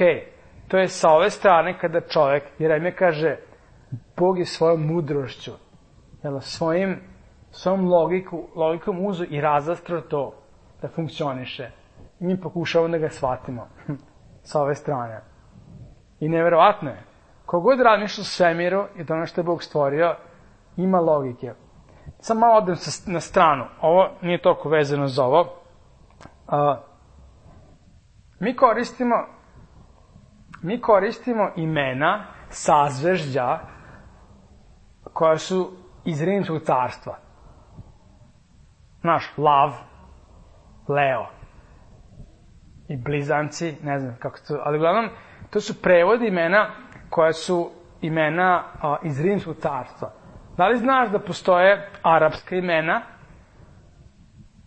to je sa ove strane kada čovek, Jeremija kaže, Bog je svojom mudrošću, jel, svojim, svojom logiku, logikom uzu i razastro to da funkcioniše. I mi pokušavamo da ga shvatimo sa ove strane. I neverovatno je, kogod razmišlja o svemiru i da ono što je Bog stvorio, ima logike. Samo malo odem na stranu, ovo nije toliko vezano za ovo. Uh, mi koristimo mi koristimo imena sazvežđa koja su iz Rimskog carstva. Znaš, Lav, Leo i blizanci, ne znam kako to, ali uglavnom to su prevodi imena koja su imena a, iz Rimskog carstva. Da li znaš da postoje arapska imena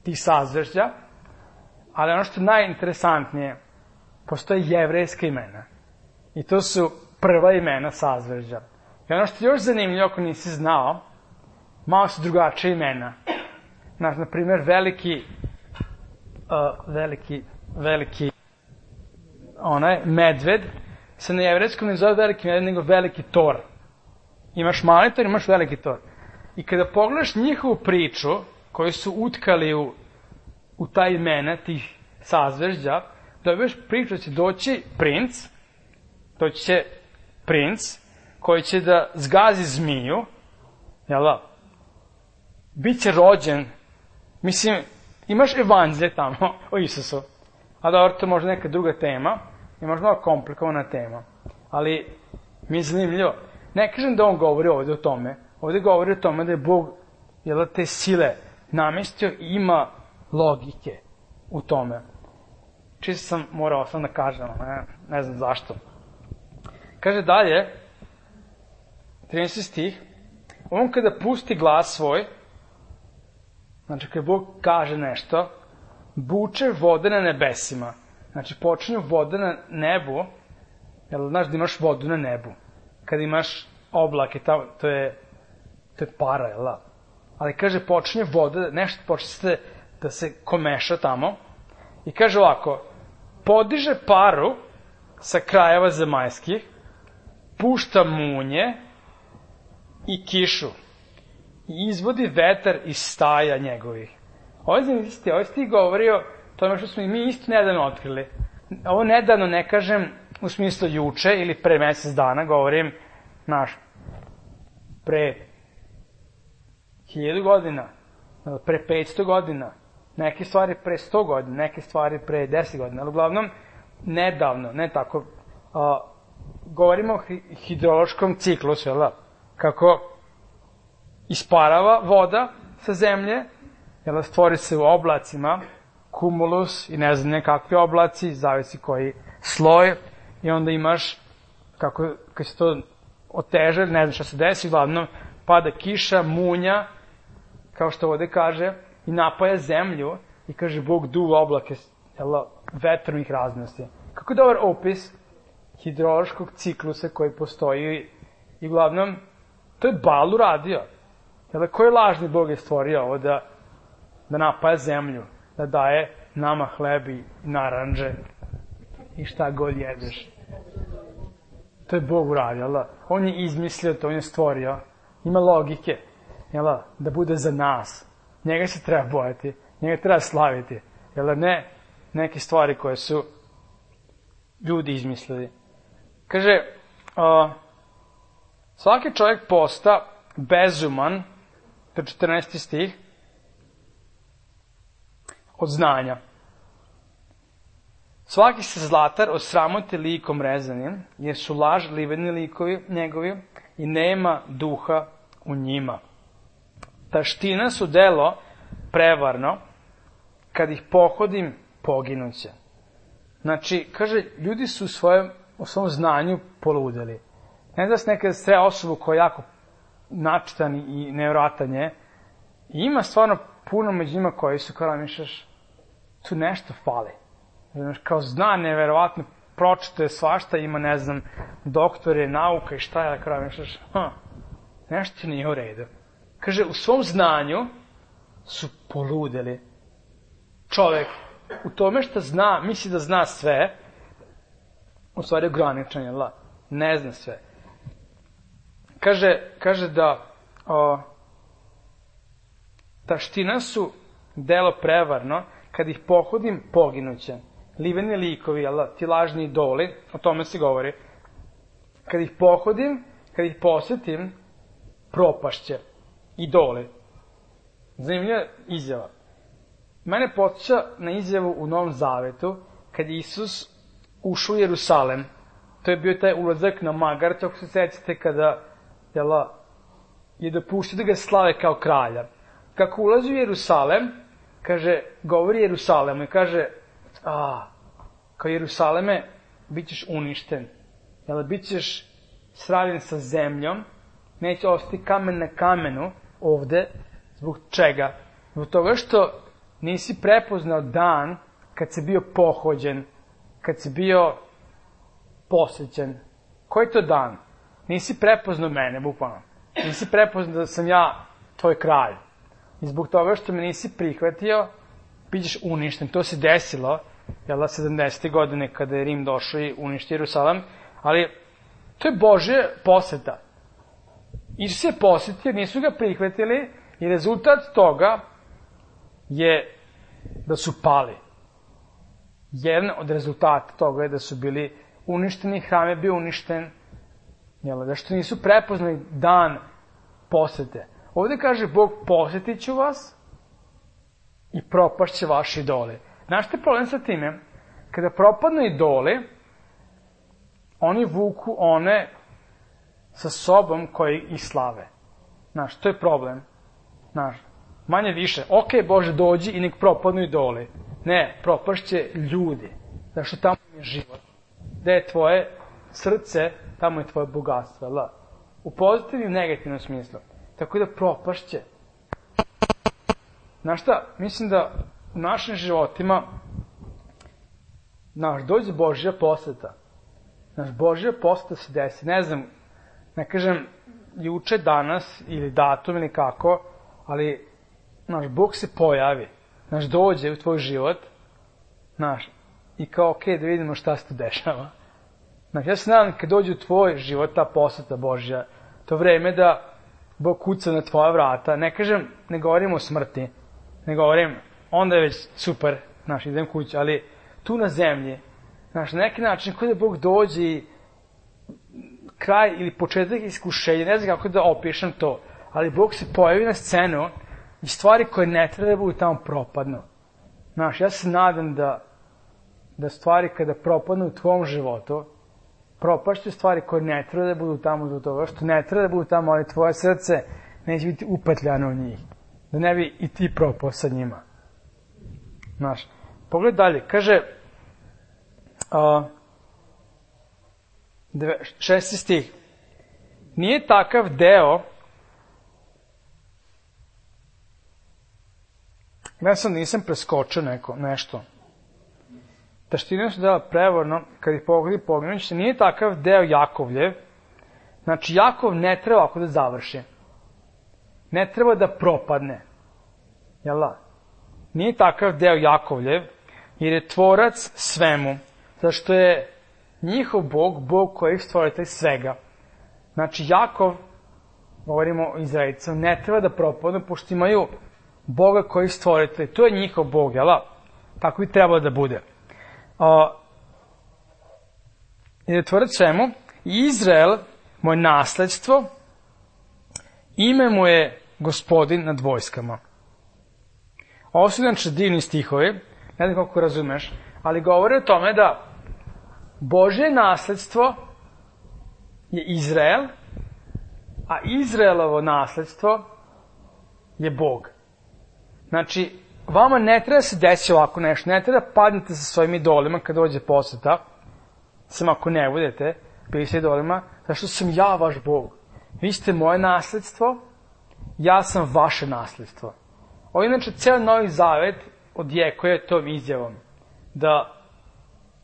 tih sazvežđa, ali ono što je najinteresantnije, postoje jevrejska imena. I to su prva imena sazvežđa. I ono što je još zanimljivo, ako nisi znao, malo su drugačije imena. Znaš, na primjer, veliki, uh, veliki, veliki, onaj, medved, se na jevrejskom ne zove veliki medved, nego veliki tor. Imaš mali tor, imaš veliki tor. I kada pogledaš njihovu priču, koju su utkali u, u ta imena tih sazvežđa, dobiješ priču da će doći princ, doći će princ, koji će da zgazi zmiju, jel da? Biće rođen, mislim, imaš evanđelje tamo o Isusu, a dobro, to je možda neka druga tema, je možda malo komplikovana tema, ali mi je zanimljivo. Ne kažem da on govori ovde o tome, ovde govori o tome da je Bog, jel da, te sile namestio i ima logike u tome. Čisto sam morao sam da kažem, ne, ne znam zašto. Kaže dalje, trinaesti stih, on kada pusti glas svoj, znači kada Bog kaže nešto, buče vode na nebesima. Znači počinju vode na nebu, jel znaš da imaš vodu na nebu? Kada imaš oblake, to je, to je para, jel da? Ali kaže počinje voda, nešto počne da se komeša tamo i kaže ovako, podiže paru sa krajeva zemaljskih, pušta munje i kišu i izvodi vetar iz staja njegovih. Ovo je zanimljivo, ovo je ti govorio tome što smo i mi isto nedavno otkrili. Ovo nedavno ne kažem u smislu juče ili pre mesec dana, govorim, znaš, pre hiljadu godina, pre petsto godina, neke stvari pre sto godina, neke stvari pre deset godina, ali uglavnom nedavno, ne tako, a, govorimo o hidrološkom ciklusu, jel da? Kako isparava voda sa zemlje, jel da, stvori se u oblacima, kumulus i ne znam nekakvi oblaci, zavisi koji sloj, i onda imaš, kako, kad se to oteže, ne znam šta se desi, uglavnom pada kiša, munja, kao što ovde kaže, i napaja zemlju, i kaže Bog duva oblake, jel da, vetrom ih raznosi. Kako je dobar opis hidrološkog ciklusa koji postoji, i uglavnom, to je Bal uradio. Jel da, koji lažni Bog je stvorio ovo da, da napaja zemlju, da daje nama hleb i naranđe i šta god jedeš. To je Bog uradio, jel da? On je izmislio to, on je stvorio. Ima logike, jel da, da bude za nas. Njega se treba bojati, njega treba slaviti, jel da, ne neke stvari koje su ljudi izmislili. Kaže, uh, svaki čovjek posta bezuman, to je četrnaesti stih, od znanja. Svaki se zlatar osramoti likom rezanim, jer su lažliveni likovi njegovi i nema duha u njima. Taština su delo prevarno, kad ih pohodim, poginuće. Znači, kaže, ljudi su u svojem, u svom znanju poludeli. Ne da se nekada sre osobu koja je jako načitan i nevjerojatan je, I ima stvarno puno među njima koji su, kao mišljaš, tu nešto fali. Znaš, kao zna neverovatno, pročito je svašta, ima, ne znam, doktore, nauka i šta je, kao mišljaš, ha, nešto nije u redu. Kaže, u svom znanju su poludeli. Čovek u tome što zna, misli da zna sve, u stvari ograničen je, la, ne zna sve. Kaže, kaže da o, taština su delo prevarno, kad ih pohodim, poginuće. Liveni likovi, jel, ti lažni idoli, o tome se govori. Kad ih pohodim, kad ih posetim, propašće. Idoli. Zanimljiva izjava. Mene podsjeća na izjavu u Novom Zavetu, kad je Isus ušao u Jerusalem. To je bio taj ulazak na magarcu, ako se sećate, kada jela, je dopuštio da ga slave kao kralja. Kako ulazi u Jerusalem, kaže, govori Jerusalemu i kaže, a, kao Jerusaleme, bit ćeš uništen. Jel, bit ćeš sravljen sa zemljom, neće ostati kamen na kamenu ovde, zbog čega? Zbog toga što nisi prepoznao dan kad si bio pohođen, kad si bio posvećen. Koji je to dan? Nisi prepoznao mene, bukvalno. Nisi prepoznao da sam ja tvoj kralj. I zbog toga što me nisi prihvatio, bit ćeš uništen. To se desilo, jel da, sedamdesete godine kada je Rim došao i uništio Jerusalim, ali to je Božja poseta. Isus je posetio, nisu ga prihvatili i rezultat toga je da su pali. Jedan od rezultata toga je da su bili uništeni, hram je bio uništen, jel, da što nisu prepoznali dan posete. Ovde kaže Bog, posetit ću vas i propašće vaši idoli. Znaš što je problem sa time? Kada propadnu idoli, oni vuku one sa sobom koji ih slave. Znaš, to je problem. Znaš, manje više, ok, Bože, dođi i nek propadnu idoli. Ne, propašće ljudi. Zašto tamo je život. Gde je tvoje srce, tamo je tvoje bogatstvo. La. U pozitivnom i negativnom smislu. Tako da propašće. Znaš šta, mislim da u našim životima naš, dođe Božja poseta. Naš Božja poseta se desi. Ne znam, ne kažem juče, danas ili datum ili kako, ali naš Bog se pojavi. Naš dođe u tvoj život, naš, i kao, ok, da vidimo šta se tu dešava. Znaš, ja se nadam kad dođe u tvoj život ta poseta Božja, to vreme da Bog kuca na tvoja vrata, ne kažem, ne govorim o smrti, ne govorim, onda je već super, znaš, idem kući, ali tu na zemlji, znaš, na neki način, kada Bog dođe i kraj ili početak iskušenja, ne znam kako da opišem to, ali Bog se pojavi na scenu i stvari koje ne treba da budu tamo propadnu. Znaš, ja se nadam da, da stvari kada propadnu u tvom životu, propašću stvari koje ne treba da budu tamo do toga, što ne treba da budu tamo, ali tvoje srce neće biti upetljano u njih. Da ne bi i ti propao sa njima. Znaš, pogledaj dalje, kaže, uh, šesti stih, nije takav deo, ja sam nisam preskočio neko, nešto, taštine su dela prevorno, kad ih pogodi poginuće, nije takav deo Jakovljev, znači Jakov ne treba ako da završi, ne treba da propadne, jel da? Nije takav deo Jakovljev, jer je tvorac svemu, zašto je njihov Bog, Bog koji je stvoritelj svega. Znači Jakov, govorimo o Izraelicama, ne treba da propadnu, pošto imaju Boga koji je stvoritelj, to je njihov Bog, jel da? Tako bi trebalo da bude. Uh, jer je tvorac svemu, Izrael, moje nasledstvo, ime mu je Gospodin nad vojskama. Ovo su znači divni stihovi, ne znam kako razumeš, ali govore o tome da Božje nasledstvo je Izrael, a Izraelovo nasledstvo je Bog. Znači, vama ne treba se desiti ovako nešto, ne treba da padnete sa svojim idolima kad dođe poseta, sam ako ne budete bili sa idolima, zašto sam ja vaš Bog. Vi ste moje nasledstvo ja sam vaše nasledstvo. Ovo inače ceo Novi Zavet odjekuje tom izjavom, da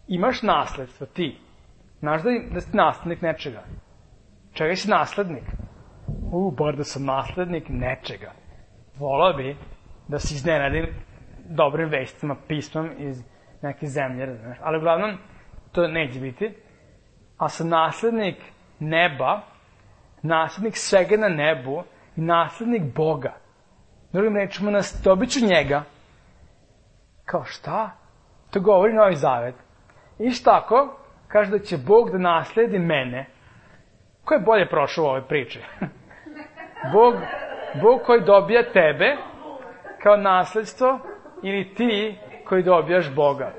imaš nasledstvo, ti. Znaš da, da si naslednik nečega. Čega si naslednik? U, bar da sam naslednik nečega. Volao bi da se iznenadim dobrim vestima, pismom iz neke zemlje, razumeš. Ali uglavnom, to neće biti. A sam naslednik neba, naslednik svega na nebu i naslednik Boga. Drugim rečima, nas dobit ću njega. Kao šta? To govori Novi Zavet. Isto tako, kaže da će Bog da nasledi mene. Ko je bolje prošao u ovoj priči? Bog, Bog koji dobija tebe kao nasledstvo ili ti koji dobijaš Boga.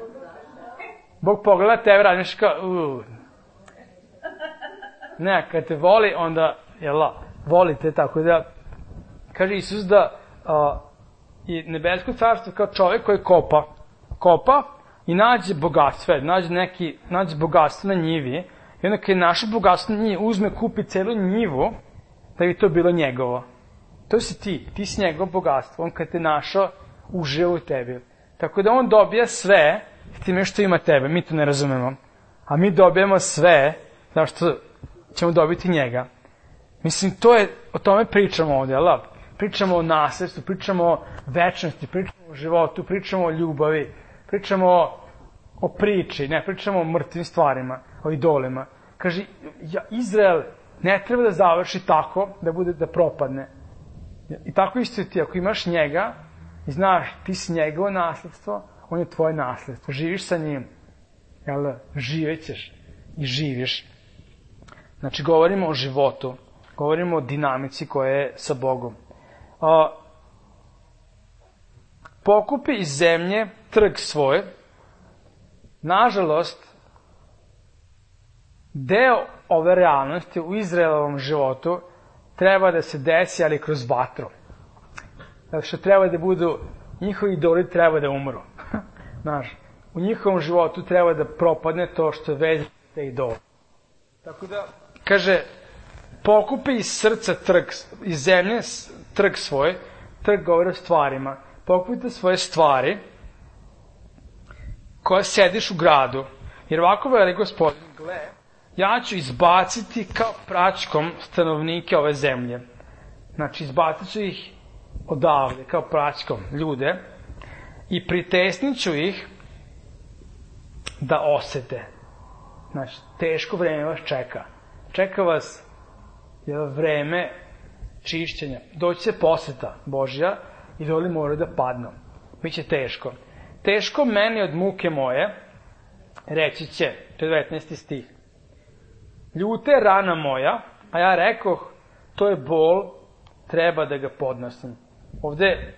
Bog pogleda tebe, radiš kao, uuu. Ne, kad te voli, onda, jela, volite, tako da, kaže Isus da a, i nebesko carstvo kao čovjek koji kopa, kopa i nađe bogatstvo, nađe neki, nađe bogatstvo na njivi, i onda kad je naše bogatstvo na njivi, uzme, kupi celu njivu, da bi to bilo njegovo. To si ti, ti si njegovo bogatstvo, on kad te našao, uživa u tebi. Tako da on dobija sve, s time što ima tebe, mi to ne razumemo. A mi dobijemo sve, zašto ćemo dobiti njega. Mislim, to je, o tome pričamo ovdje, ali pričamo o nasljedstvu, pričamo o večnosti, pričamo o životu, pričamo o ljubavi, pričamo o, o priči, ne pričamo o mrtvim stvarima, o idolima. Kaže, ja, Izrael ne treba da završi tako, da bude, da propadne. I tako isto i ti, ako imaš njega, i znaš, ti si njegovo nasljedstvo, on je tvoje nasljedstvo, živiš sa njim, jel, živećeš i živiš. Znači, govorimo o životu, govorimo o dinamici koja je sa Bogom. A, pokupi iz zemlje trg svoj, nažalost, deo ove realnosti u Izraelovom životu treba da se desi, ali kroz vatru. Zato što treba da budu, njihovi idoli treba da umru. Znaš, u njihovom životu treba da propadne to što je vezano za te idole. Tako da, kaže, pokupi iz srca trg, iz zemlje trg svoj, trg govori o stvarima. Pokupite svoje stvari koje sediš u gradu, jer ovako veli Gospodin, gle, ja ću izbaciti kao praćkom stanovnike ove zemlje. Znači, izbacit ću ih odavde, kao praćkom, ljude, i pritesnit ću ih da osete. Znači, teško vreme vas čeka. Čeka vas je vreme čišćenja. Doći će poseta Božja i doli moraju da padnu. Biće teško. Teško meni od muke moje, reći će, devetnaesti stih. Ljuta je rana moja, a ja rekoh, to je bol, treba da ga podnosim. Ovde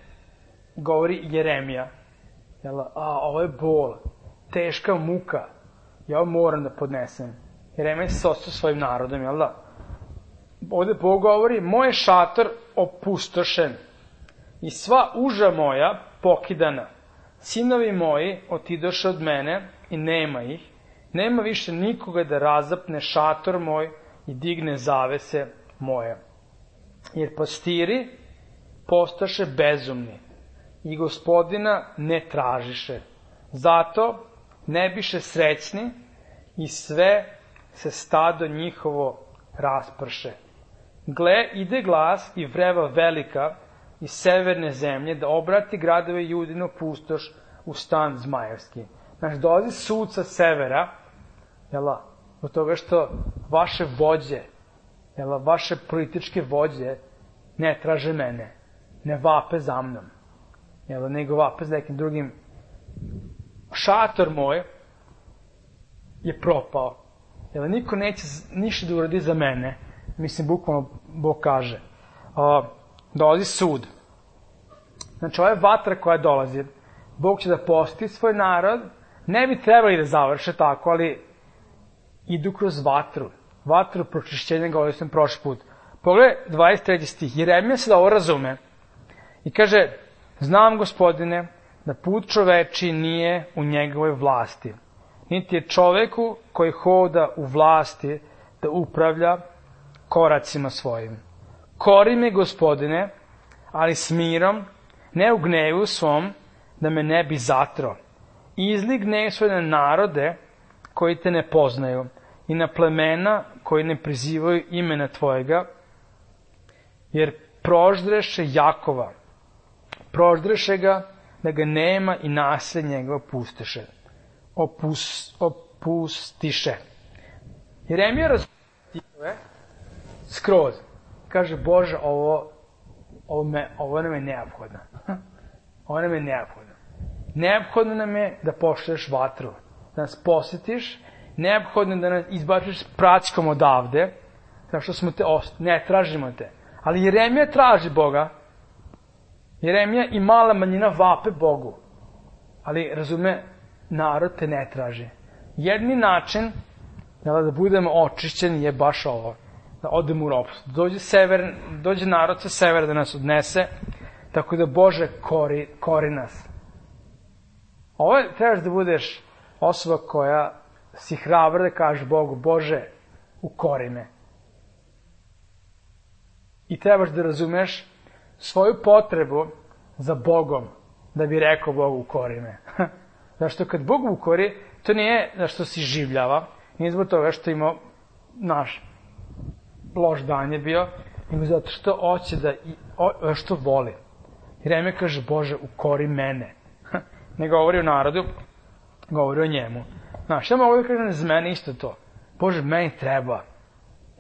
govori Jeremija. Jel, a, ovo je bol, teška muka, ja ovo moram da podnesem. Jeremija se ostao svojim narodom, jel da? Ovde Bog govori, moj šator opustošen i sva uža moja pokidana. Sinovi moji otidoše od mene i nema ih. Nema više nikoga da razapne šator moj i digne zavese moje. Jer pastiri postaše bezumni i Gospodina ne tražiše. Zato ne biše srećni i sve se stado njihovo rasprše. Gle, ide glas i vreva velika iz severne zemlje da obrati gradove Judino pustoš u stan zmajevski. Znači, dolazi sud sa severa, jela, od toga što vaše vođe, jela, vaše političke vođe ne traže mene, ne vape za mnom, jela, nego vape za nekim drugim. Šator moj je propao, jela, niko neće ništa da uradi za mene, mislim, bukvalno Bog kaže. A, dolazi sud. Znači, ova je vatra koja dolazi. Bog će da posti svoj narod. Ne bi trebali da završe tako, ali idu kroz vatru. Vatru pročišćenja, govorio sam prošli put. Pogledaj dvadeset treći stih. Jeremija se da ovo razume. I kaže, znam, Gospodine, da put čoveči nije u njegovoj vlasti. Niti je čoveku koji hoda u vlasti da upravlja koracima svojim. Kori me, Gospodine, ali s mirom, ne u gnevu svom, da me ne bi zatro. Izli gnev svoj na narode koji te ne poznaju i na plemena koji ne prizivaju imena tvojega, jer proždreše Jakova, proždreše ga da ga nema i nasled njega opustiše. Opus, opustiše. Jeremija razumije skroz. Kaže, Bože, ovo, ovo, me, ovo nam je neophodno. Ovo nam je neophodno. Neophodno nam je da pošleš vatru, da nas posjetiš, neophodno da nas izbačiš s praćkom odavde, kao što smo te ostali. Ne, tražimo te. Ali Jeremija traži Boga. Jeremija i mala manjina vape Bogu. Ali, razume, narod te ne traži. Jedni način da budemo očišćeni je baš ovo. Da odemo u ropstvo. Dođe, sever, dođe narod sa severa da nas odnese, tako da Bože kori, kori nas. Ovo trebaš da budeš osoba koja si hrabra da kaže Bogu, Bože, ukori me. I trebaš da razumeš svoju potrebu za Bogom, da bi rekao Bogu, ukori me. Zašto kad Bog ukori, to nije zašto si življava, nije zbog toga što ima naš loš dan je bio, nego zato što hoće da, o, što voli. Jeremija kaže, Bože, ukori mene. Ne govori o narodu, govori o njemu. Znaš, ja mogu da kažem za mene isto to. Bože, meni treba.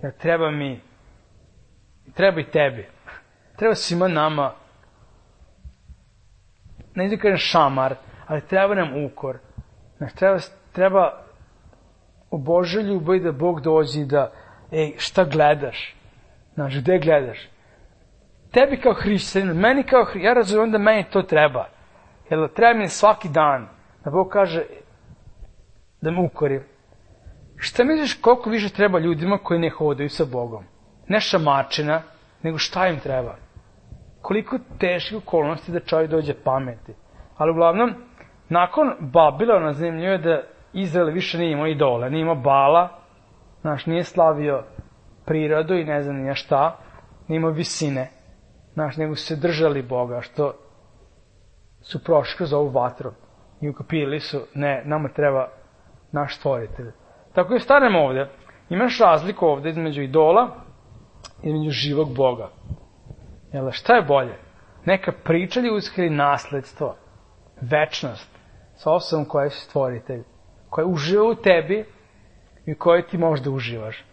Jer treba mi, treba i tebi. Treba svima nama, ne da kažem šamar, ali treba nam ukor. Znaš, treba, treba u Božoj ljubavi da Bog dođe i da, ej, šta gledaš? Znaš, gde gledaš? Tebi kao hrišćanin, meni kao hrišćanin, ja razumijem da meni to treba. Jer treba mi svaki dan da Bog kaže da me ukori. Šta misliš koliko više treba ljudima koji ne hodaju sa Bogom? Ne šamačina, nego šta im treba? Koliko teških okolnosti da čovjek dođe pameti. Ali uglavnom, nakon Babilona zanimljivo je da Izrael više nije imao idola, nije imao Bala, znaš, nije slavio prirodu i ne znam nije šta, nije imao visine, znaš, nego su se držali Boga, što su prošli kroz ovu vatru i ukapili su, ne, nama treba naš stvoritelj. Tako je stanemo ovde, imaš razliku ovde između idola i između živog Boga. Jel, šta je bolje? Neka priča ljudska ili nasledstvo, večnost, sa osobom koja je stvoritelj, koja uživa u tebi i u kojoj ti možda uživaš.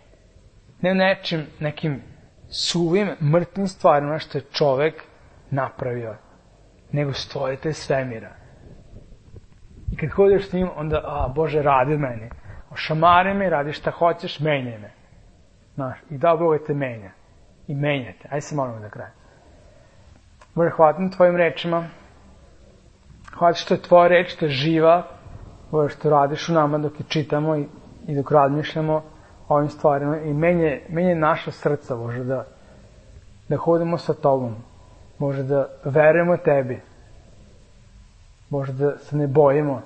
Ne nečim, nekim suvim, mrtvim stvarima što je čovek napravio, nego stvoritelj svemira. I kad hodeš s njim, onda, a, Bože, radi od meni. Ošamari me, radi šta hoćeš, menjaj me. Znaš, i da Bog te menja. I menjate. Ajde se molimo da kraja. Bože, hvala na tvojim rečima. Hvala što je tvoja reč, što je živa. Bože, što radiš u nama dok je čitamo i, i dok razmišljamo o ovim stvarima. I menje, menje naša srca, Bože, da, da hodimo sa tobom. Bože, da verujemo tebi. Bože, da se ne bojimo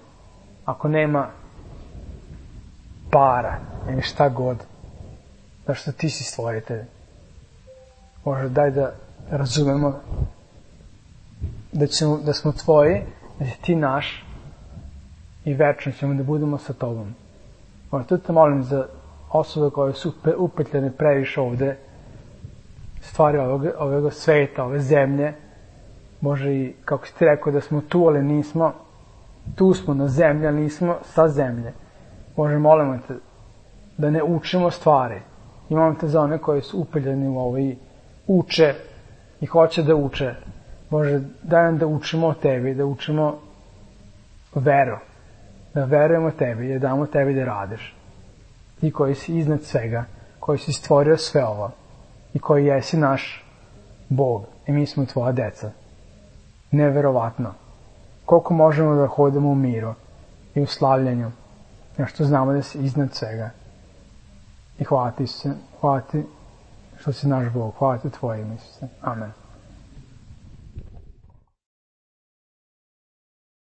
ako nema para ili šta god. Zašto ti si stvoritelj. Bože, daj da razumemo da, ćemo, da smo tvoji, da si ti naš i večno ćemo da budemo sa tobom. Bože, tu te molim za osobe koje su upetljene previše ovde, stvari ovog, ovog sveta, ove zemlje. Bože, i kako si ti rekao da smo tu, ali nismo, tu smo na zemlji, ali nismo sa zemlje. Bože, molimo te da ne učimo stvari. Imamo te za one koji su upeljeni u ovo i uče i hoće da uče. Bože, daj nam da učimo o tebi, da učimo veru, da verujemo tebi, da damo tebi da radiš. Ti koji si iznad svega, koji si stvorio sve ovo i koji jesi naš Bog i mi smo tvoja deca. Neverovatno. Koliko možemo da hodimo u miru i u slavljenju, jer što znamo da si iznad svega. I hvala ti se, hvala ti što si naš Bog, hvala ti tvoje ime, Isuse. Amen.